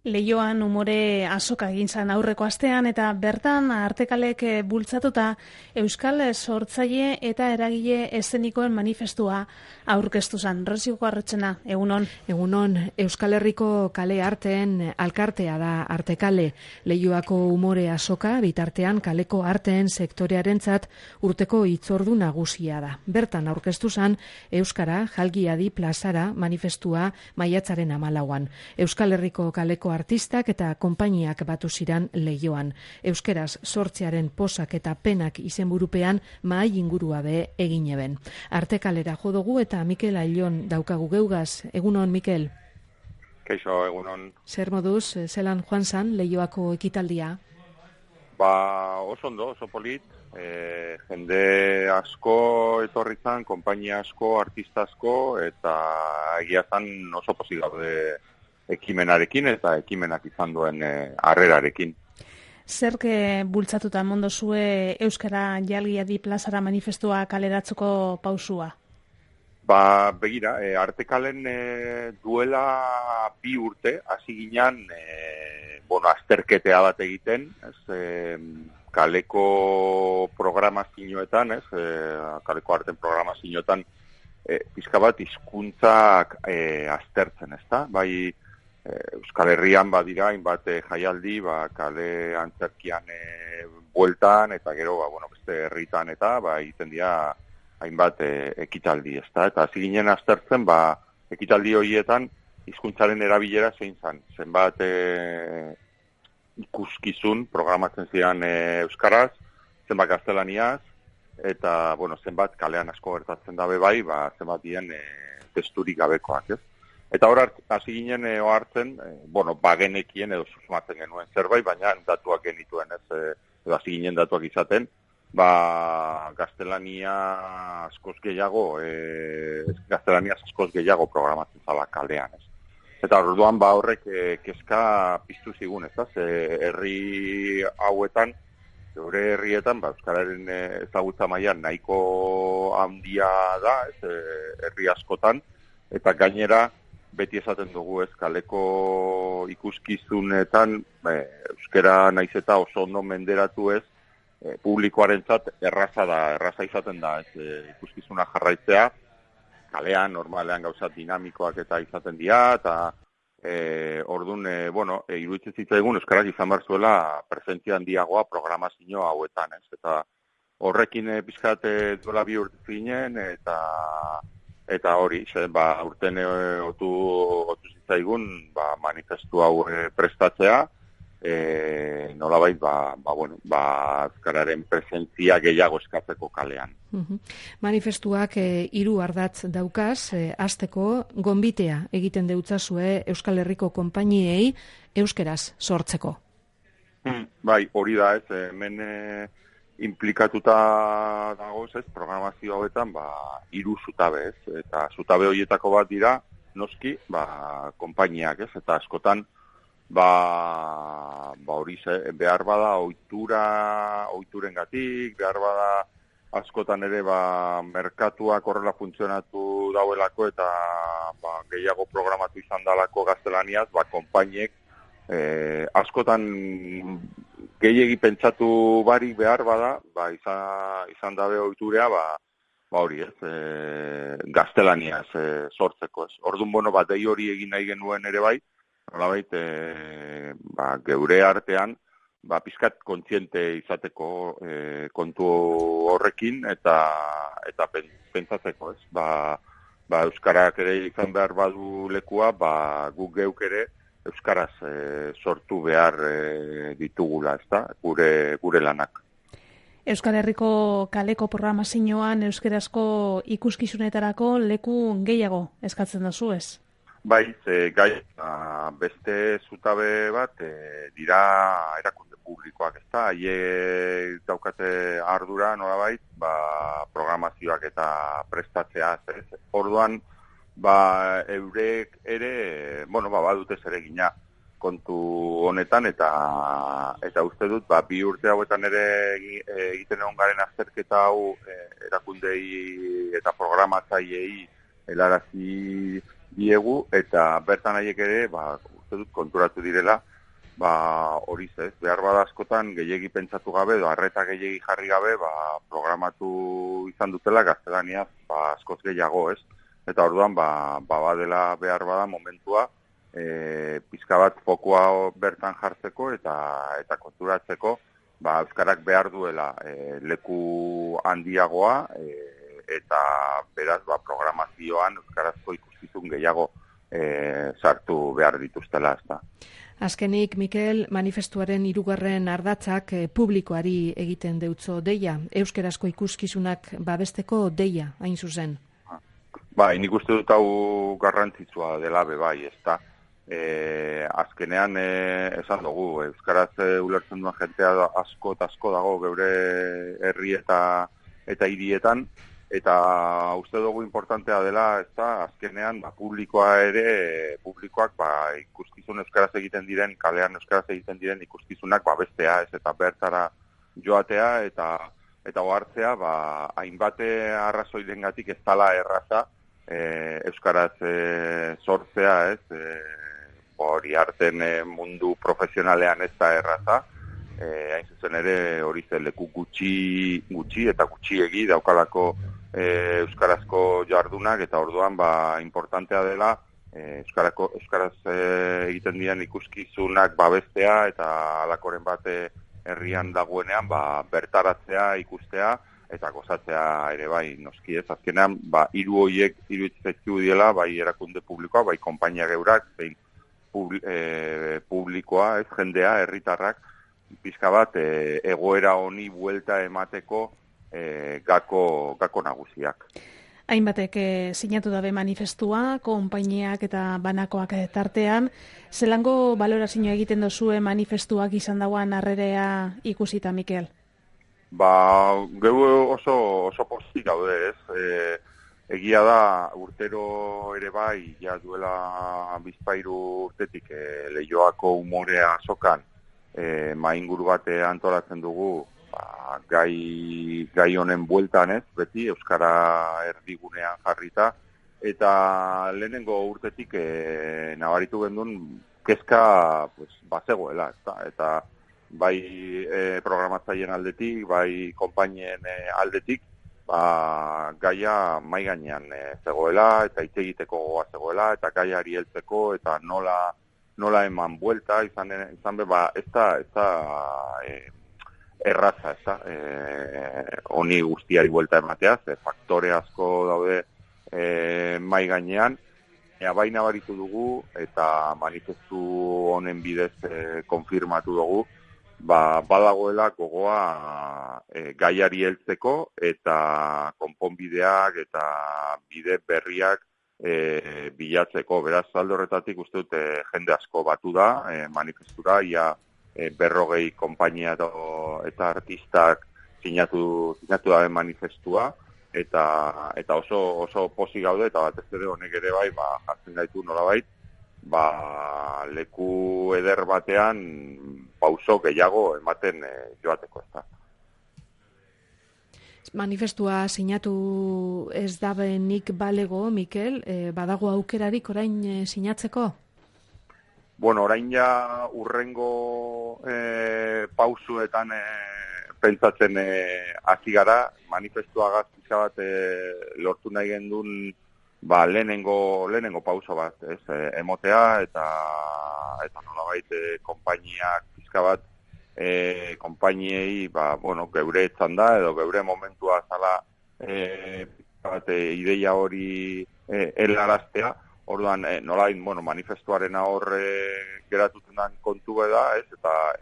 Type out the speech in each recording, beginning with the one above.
Leioan umore azoka egin zan aurreko astean eta bertan Artekalek bultzatuta Euskal sortzaile eta eragile eszenikoen manifestua aurkeztu zan. Rosiko Arretxena, egunon. Egunon, Euskal Herriko kale arteen alkartea da Artekale. Leioako umore azoka bitartean kaleko arteen sektorearentzat urteko hitzordu nagusia da. Bertan aurkeztu zan Euskara Jalgiadi plazara manifestua maiatzaren 14an. Euskal Herriko kaleko artistak eta konpainiak batu ziran Leioan. Euskeraz sortzearen posak eta penak izenburupean mahai ingurua be egin eben. Artekalera jo dugu eta Mikel Ailon daukagu geugaz. Egunon, Mikel? Kaixo, egunon. Zer moduz, zelan joan zan Leioako ekitaldia? Oso ondo, oso polit. Jende asko etorri zan, konpainia asko, artista asko, eta egia zan oso pozik gaude ekimenarekin eta ekimenak izan duen harrerarekin. Zerke bultzatuta mondo zue Euskara Jalgiadi plazara manifestua kaleratzeko pausua? Begira, Artekalen duela 2 urte, hasi ginen, azterketea bat egiten, kaleko programazioetan, kaleko arten programazioetan, pizka bat hizkuntzak aztertzen, ezta? Bai, Euskal Herrian badira, hainbat jaialdi, kale antzerkian bueltan, eta gero, beste herritan eta, egiten dira hainbat ekitaldi, ezta? Eta hasi ginen aztertzen, ekitaldi horietan, hizkuntzaren erabilera zein zan. Zenbat ikuskizun programatzen ziren euskaraz, zenbat gaztelaniaz, eta, zenbat kalean asko gertatzen dabe bai, zenbat dien testurik gabekoak, ez? Eta hor hasi ginen ohartzen, bagenekien edo susmatzen genuen zerbait, baina datuak genituen, ez? Edo hasi ginen datuak izaten, gaztelania askoz gehiago, programatzen zala kalean, ez? Eta orduan horrek kezka piztu zigun, ez da? Herri hauetan, geure herrietan, euskararen ezagutza mailan nahiko handia da, herri askotan, eta gainera, beti esaten dugu ez, kaleko ikuskizunetan, euskara naiz eta oso ondo menderatu ez, publikoarentzat erraza izaten da, ikuskizuna jarraitzea, kalean, normalean gauza dinamikoak eta izaten dira, eta orduan, iruditzen zitzaigun euskarak izan behar zuela presentzia handiagoa programazio hauetan, ez? Eta horrekin pizkat duela 2 urte zinen, eta hori, urten otu zitzaigun manifestu hau prestatzea, nolabait, euskararen presentzia gehiago eskatzeko kalean. Manifestuak 3 ardatz daukaz, hasteko gonbitea egiten deutzazue Euskal Herriko konpainiei euskeraz sortzeko. Bai, hori da ez, hemen implikatuta dagoz ez, programazio hauetan 3 zutabe ez, eta zutabe horietako bat dira, noski, konpainiak ez, eta askotan, hori behar bada ohiturengatik, behar bada askotan ere merkatuak horrela funtzionatu dauelako eta gehiago programatu izan dalako gaztelaniaz, konpainiek askotan gehiegi pentsatu barik behar bada, izan dabe ohiturea, hori ez, gaztelaniaz sortzeko ez. Orduan, dei hori egin nahi genuen ere bai, nolabait, geure artean, pizkat kontziente izateko kontu horrekin eta pentsatzeko, ez? Euskarak ere izan behar badu lekua, guk geuk ere euskaraz sortu behar ditugula, ezta? Gure lanak. Euskal Herriko kaleko programazioan euskerazko ikuskizunetarako leku gehiago eskatzen duzu, ez? Bai, beste zutabe bat dira erakunde publikoak, ezta? Haiek daukate ardura, nolabait, programazioak eta prestatzea, ez? Orduan, eurek ere, badute zeregina kontu honetan, eta uste dut, 2 urte hauetan ere egiten egon garen azterketa hau erakundei eta programatzaileei helarazi diegu, eta bertan haiek ere, uste dut konturatu direla, hori ez, behar bada askotan gehiegi pentsatu gabe, edo arreta gehiegi jarri gabe, programatu izan dutela gaztelaniaz, askoz gehiago, ez? Eta orduan, badela behar bada momentua, pizka bat fokua bertan jartzeko eta konturatzeko, euskarak behar duela leku handiagoa, eta beraz, programazioan euskarazko ikuskizun gehiago sartu behar dituztela, ez da. Azkenik, Mikel, manifestuaren 3. ardatzak publikoari egiten deutzo deia, euskarazko ikuskizunak babesteko deia, hain zuzen. Nik uste dut hau garrantzitsua dela bai, ez da. Azkenean esan dugu, euskaraz ulertzen duen jentea asko eta asko dago geure herri eta hirietan, eta uste dugu importantea dela, ez da, azkenean publikoak ikuskizun euskaraz egiten diren, kalean euskaraz egiten diren ikuskizunak bestea, ez, eta bertara joatea eta ohartzea, hainbate arrazoirengatik ez dala erraza euskaraz sortzea, ez, hori arten mundu profesionalean ez da erraza, hain zuzen ere hori leku gutxi eta gutxiegi daukalako euskarazko jardunak, eta orduan importantea dela euskaraz egiten diren ikuskizunak babestea eta alakoren bat herrian dagoenean bertaratzea, ikustea eta gozatzea ere bai, noski ez. Azkenean, hiru horiek iruditzen diela, bai erakunde publikoa, bai konpainia geurak, zein publikoa, ez, jendea, herritarrak, pizka bat egoera honi buelta emateko gako nagusiak. Hainbatek sinatu dabe manifestua, konpainiak eta banakoak tartean. Zelango balorazioa egiten dozue manifestuak izan dauan harrerea ikusita, Mikel? Geu oso pozik gaude, ez? Egia da, urtero ere bai, ja duela bizpairu urtetik Leioako umorea azokan mainguru bat antolatzen dugu, gai honen bueltan, ez, beti euskara erdigunean jarrita, eta lehenengo urtetik nabaritu gendun kezka bazegoela, eta bai programatzaileen aldetik, bai konpainien aldetik, gaia mai gainean zegoela, eta hitz egiteko gogoa zegoela, eta gaiari heltzeko, eta nola eman buelta, izan be, ez da erraza, ez da, honi guztiari buelta ematea, faktore asko daude mai gainean, baina baritu dugu, eta manifestu honen bidez konfirmatu dugu, badagoela gogoa gaiari heltzeko, eta konponbideak eta bide berriak bilatzeko. Beraz, alde horretatik uste dut jende asko batu da manifestura, ia 40 konpainia eta artistak sinatu dabe manifestua, eta oso pozik gaude, eta batez ere honek ere bai, jartzen gaitu nolabait, leku eder batean pauso gehiago ematen joateko, ez da. Manifestua sinatu ez dabenik balego, Mikel, badago aukerarik orain sinatzeko? Bueno, orain ja urrengo pausuetan pentsatzen hasi gara, manifestua gaztitza bat lortu nahi gendun lehenengo pauso bat, ez, emotea eta nolabait konpainiak pizka bat konpainiei, geure etzan da, edo geure momentua zala ideia hori helaraztea, orduan nolabait, manifestuaren geratuten den kontu da, ez, eta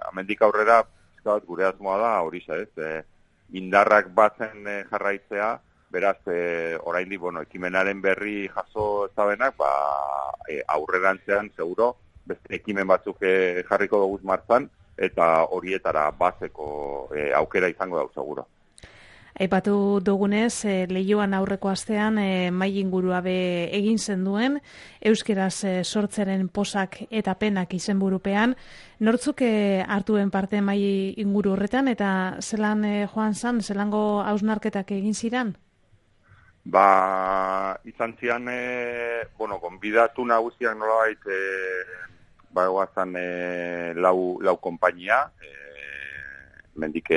hemendik aurrera pizka bat gure asmoa da, hori ez, indarrak batzen jarraitzea, beraz, oraindik, ekimenaren berri jaso ezabenak, aurrerantzean, seguro, beste ekimen batzuk jarriko dugu martzan, eta horietara bazeko aukera izango dau, seguro. Aipatu dugunez, Leioan aurreko astean mai ingurua be egin zenduen, euskeraz sortzeren posak eta penak izenburupean. Nortzuk hartuen parte mai inguru horretan, eta zelan joan zan, zelango hausnarketak egin ziran? Izan zian, gonbidatu nagusiak nolabait bagoazan lau konpainia, mendik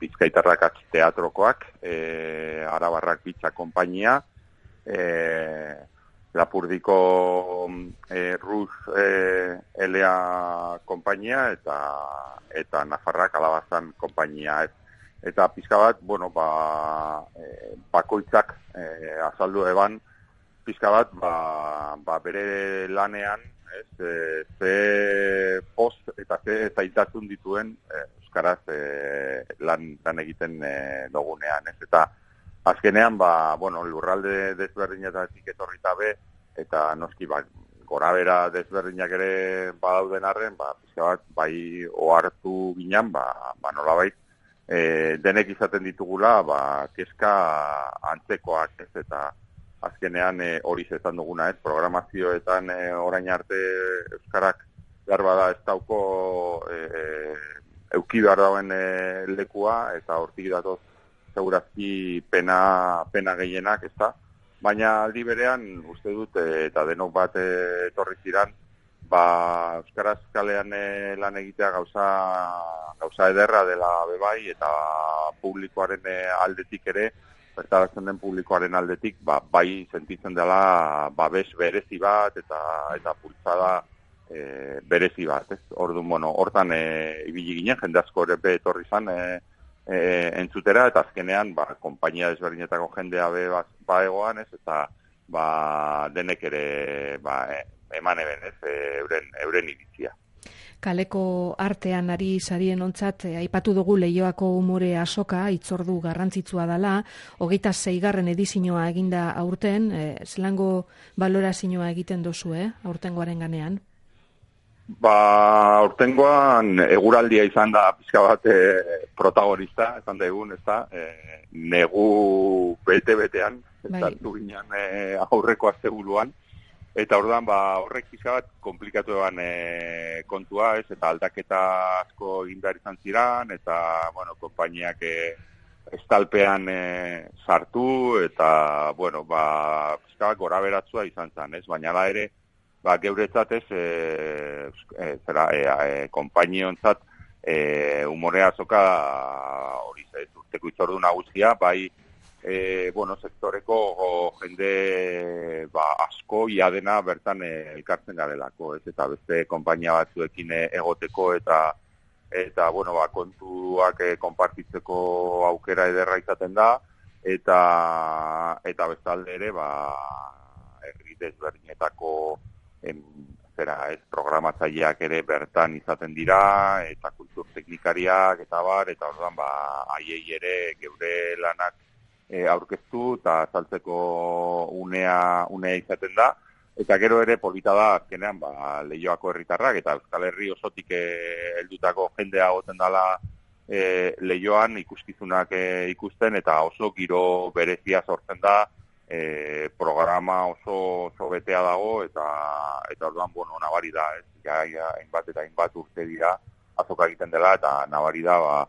Bizkaitarrak atx teatrokoak, Arabarrak bitza konpainia, Lapurdiko Rus Elea konpainia eta Nafarrak Alabazan konpainia. Eta pizka bat, bakoitzak azaldu eban, pizka bat, bere lanean, ze post eta ze zaitasun dituen euskaraz lan egiten dugunean, ez? Eta azkenean, lurralde desberdinetatik etorrita be, eta noski, gorabera desberdinak ere badauden arren, pizka bat, bai ohartu ginen, nolabait, denek izaten ditugula, kezka antzekoak, ez, eta azkenean hori zetan duguna, ez, programazioetan orain arte euskarak behar bada ez dauko euki behar dauen lekua, eta hortik datoz segurazki pena gehienak, ez da, baina aldi berean uste dut, eta denok bat etorri ziran, euskaraz kalean lan egitea gauza ederra dela bebai, eta publikoaren aldetik ere, bertaratzen den publikoaren aldetik, bai sentitzen dela babes berezi bat, eta pulsada berezi bat, ez? Orduan, hortan ibili ginen, jende asko ere etorri zan entzutera, eta azkenean, konpainia desberdinetako jendea egoan, ez? Eta denek ere eman eben, ez, euren iritzia. Kaleko artean ari sarien ontzat, aipatu dugu Leioako umore azoka, hitzordu garrantzitsua dela, 26. edizioa eginda aurten, zelango balorazioa egiten dozu, aurtengoaren ganean? Aurtengoan eguraldia izan da pizka bat protagonista, esan da egun, ez da, negu bete-betean, zartu ginen aurreko astebuluan, eta orduan, horrek pizka bat komplikatu eban kontua, ez, eta aldaketa asko egin behar izan ziran, eta, konpainiak estalpean sartu, eta, pizka bat gora beratzua izan zen, ez, baina da ere, geuretzat ez, konpainiontzat, umorea azoka hori urteko hitzordu nagusia, bai, sektoreko jende asko iadena bertan elkartzen garelako, ez, eta beste konpainia batzuekin egoteko eta kontuak konpartitzeko aukera ederra izaten da, eta bestalde ere, herri desberdinetako programatzaileak ere bertan izaten dira, eta kultur teknikariak, eta orduan, haiei ere geure lanak aurkeztu eta saltzeko unea izaten da, eta gero ere polita da azkenean Leioako herritarrak eta Euskal Herri osotik heldutako jendea goten dela Leioan ikuskizunak ikusten, eta oso giro berezia sortzen da, programa oso betea dago, eta orduan, nabari da, ez, hainbat urte dira azoka egiten dela, eta nabari da,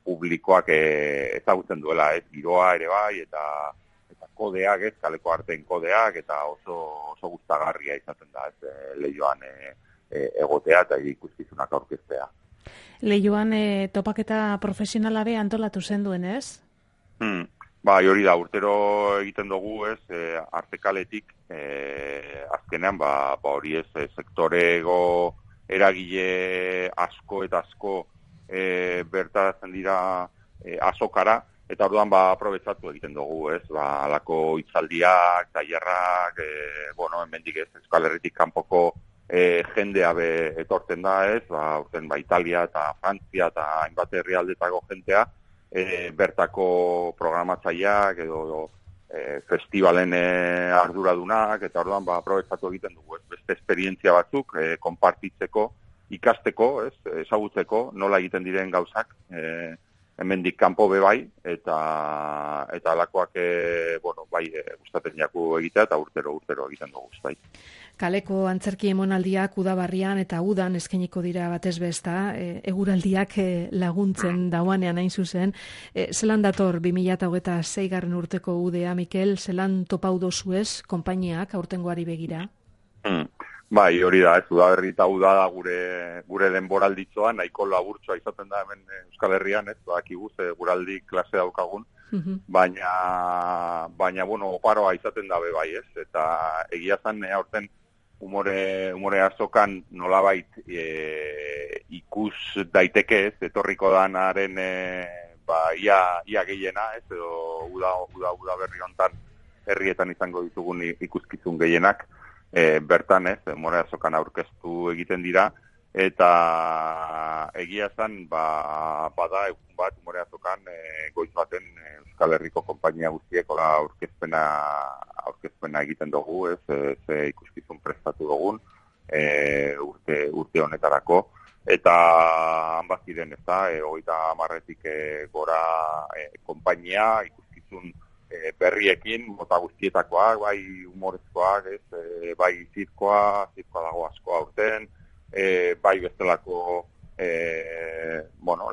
publikoak ezagutzen duela, ez, giroa ere bai, eta kodeak, ez, kaleko arteen kodeak, eta oso gustagarria izaten da, ez, Leioan egotea eta ikuskizunak aurkeztea. Leioan topaketa profesionala be antolatu zenduen, ez? Hori da, urtero egiten dugu, ez, artekaletik, azkenean, hori ez, sektorego eragile asko eta asko bertaratzen dira azokara, eta orduan aprobetxatu egiten dugu, ez, alako hitzaldiak, tailerrak, hemendik ez, Euskal Herritik kanpoko jendea etortzen da, ez, urten Italia eta Frantzia eta hainbat herrialdetako jendea, bertako programatzaileak edo festivalen arduradunak, eta orduan aprobetxatu egiten dugu, ez, beste esperientzia batzuk konpartitzeko, ikasteko, ez, ezagutzeko, nola egiten diren gauzak, hemendik kanpo bai, eta alakoak, gustatzen jaku egitea, eta urtero egiten dugu, bai. Kaleko antzerki emonaldiak udabarrian eta udan eskainiko dira batez besta, eguraldiak laguntzen dauanean hain zuzen. Zelan dator 2026. Urteko udea, Mikel, zelan topau dozuez konpainiak aurtengoari begira? Bai, hori da, ez, udaberri eta uda da gure denboralditzoa, nahiko laburtsoa izaten da hemen Euskal Herrian, ez, badakigu ze guraldi klase daukagun, baina, bueno, oparoa izaten dabe bai, ez, eta egia zan, aurten umore azokan nolabait ikus daiteke, ez, etorriko danaren, ia gehiena, ez, edo uda berri hontan herrietan izango ditugun ikuskizun gehienak, bertan ez, umore azokan aurkeztu egiten dira, eta egia zan, bada egun bat umore azokan goiz baten Euskal Herriko konpainia guztieko aurkezpena egiten dugu, ez, ze ikuskizun prestatu dugun urte honetarako, eta hanbaziren, ez da, 30 gora konpainia ikuskizun berriekin, mota guztietakoak, bai humorezkoak, ez, bai zirkoa dago asko aurten, bai bestelako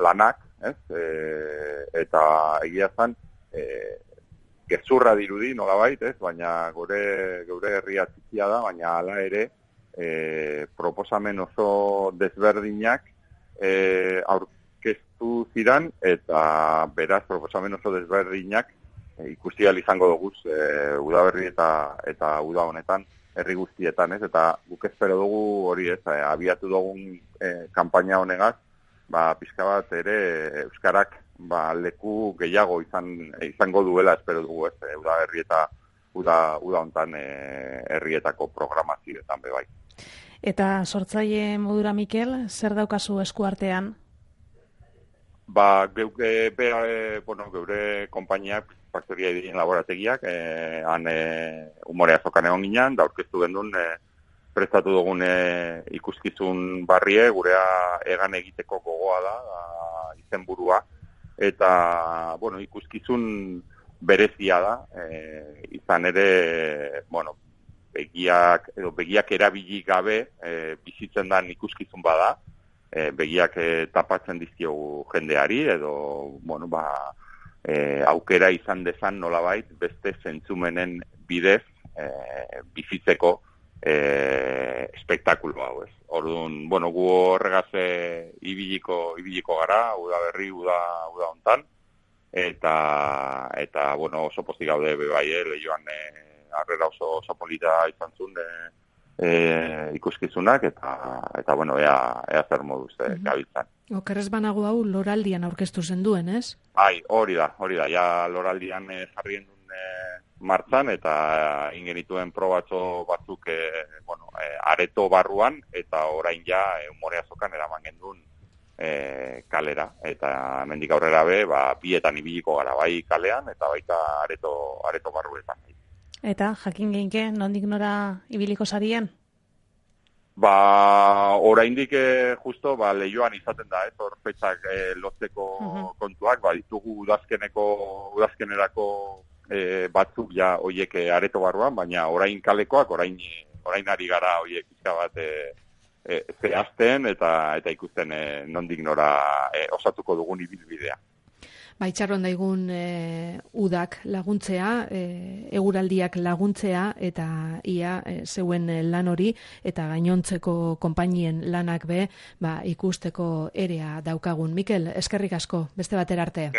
lanak, ez, eta egia zan, gezurra dirudi nolabait, ez, baina geure herria txikia da, baina hala ere proposamen oso desberdinak aurkeztu ziran, eta beraz proposamen oso desberdinak ikusi ahal izango dugu udaberri eta uda honetan herri guztietan, ez, eta guk espero dugu hori, ez, abiatu dugun kanpaina honegaz, pixka bat ere euskarak leku gehiago izango duela espero dugu, ez, udaberri eta uda honetan herrietako programazioetan bebai. Eta sortzaile modura, Mikel, zer daukazu eskuartean? Geure konpainiak, faktoria edien laborategiak, han umore azokan egon ginen, da aurkeztu gendun prestatu dugun ikuskizun barrie, gurea egan egiteko gogoa da izenburua, eta ikuskizun berezia da, izan ere, begiak erabili gabe bizitzen dan ikuskizun bada, begiak tapatzen dizkiogu jendeari, edo, aukera izan dezan nolabait beste zentzumenen bidez bizitzeko espektakulo hau, ez. Orduan, gu horregaz ibiliko gara, udaberri, uda hontan, eta oso pozik gaude bebai, lehioan harrera oso polita izan zuen ikuskizunak, eta ea zer moduz gabiltzan. Okerrez banago hau loraldian aurkeztu zenduen, ez? Hori da, ja loraldian jarrien duen martzan, eta ingenituen probatxo batzuk areto barruan, eta orain ja umore azokan eraman gendun kalera, eta mendik aurrera bietan ibiliko gara, bai kalean, eta baita areto barruetan. Eta jakin geinke, nondik nora ibiliko sarien? Oraindik justo lehioan izaten da, hor fetxak lotzeko kontuak, ditugu udazkenerako batzuk ja hoiek areto barruan, baina orain kalekoak, orain ari gara hoiek izka bat zehazten eta ikusten nondik nora osatuko dugun ibilbidea. Itxaron daigun udak laguntzea, eguraldiak laguntzea, eta ia zeuen lan hori, eta gainontzeko konpainien lanak ikusteko erea daukagun. Mikel, eskerrik asko, beste batera arte.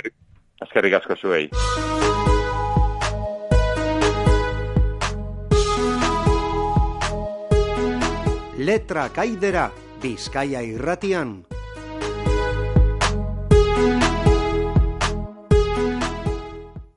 Eskerrik asko zuei. Letra kaidera, Bizkaia irratian.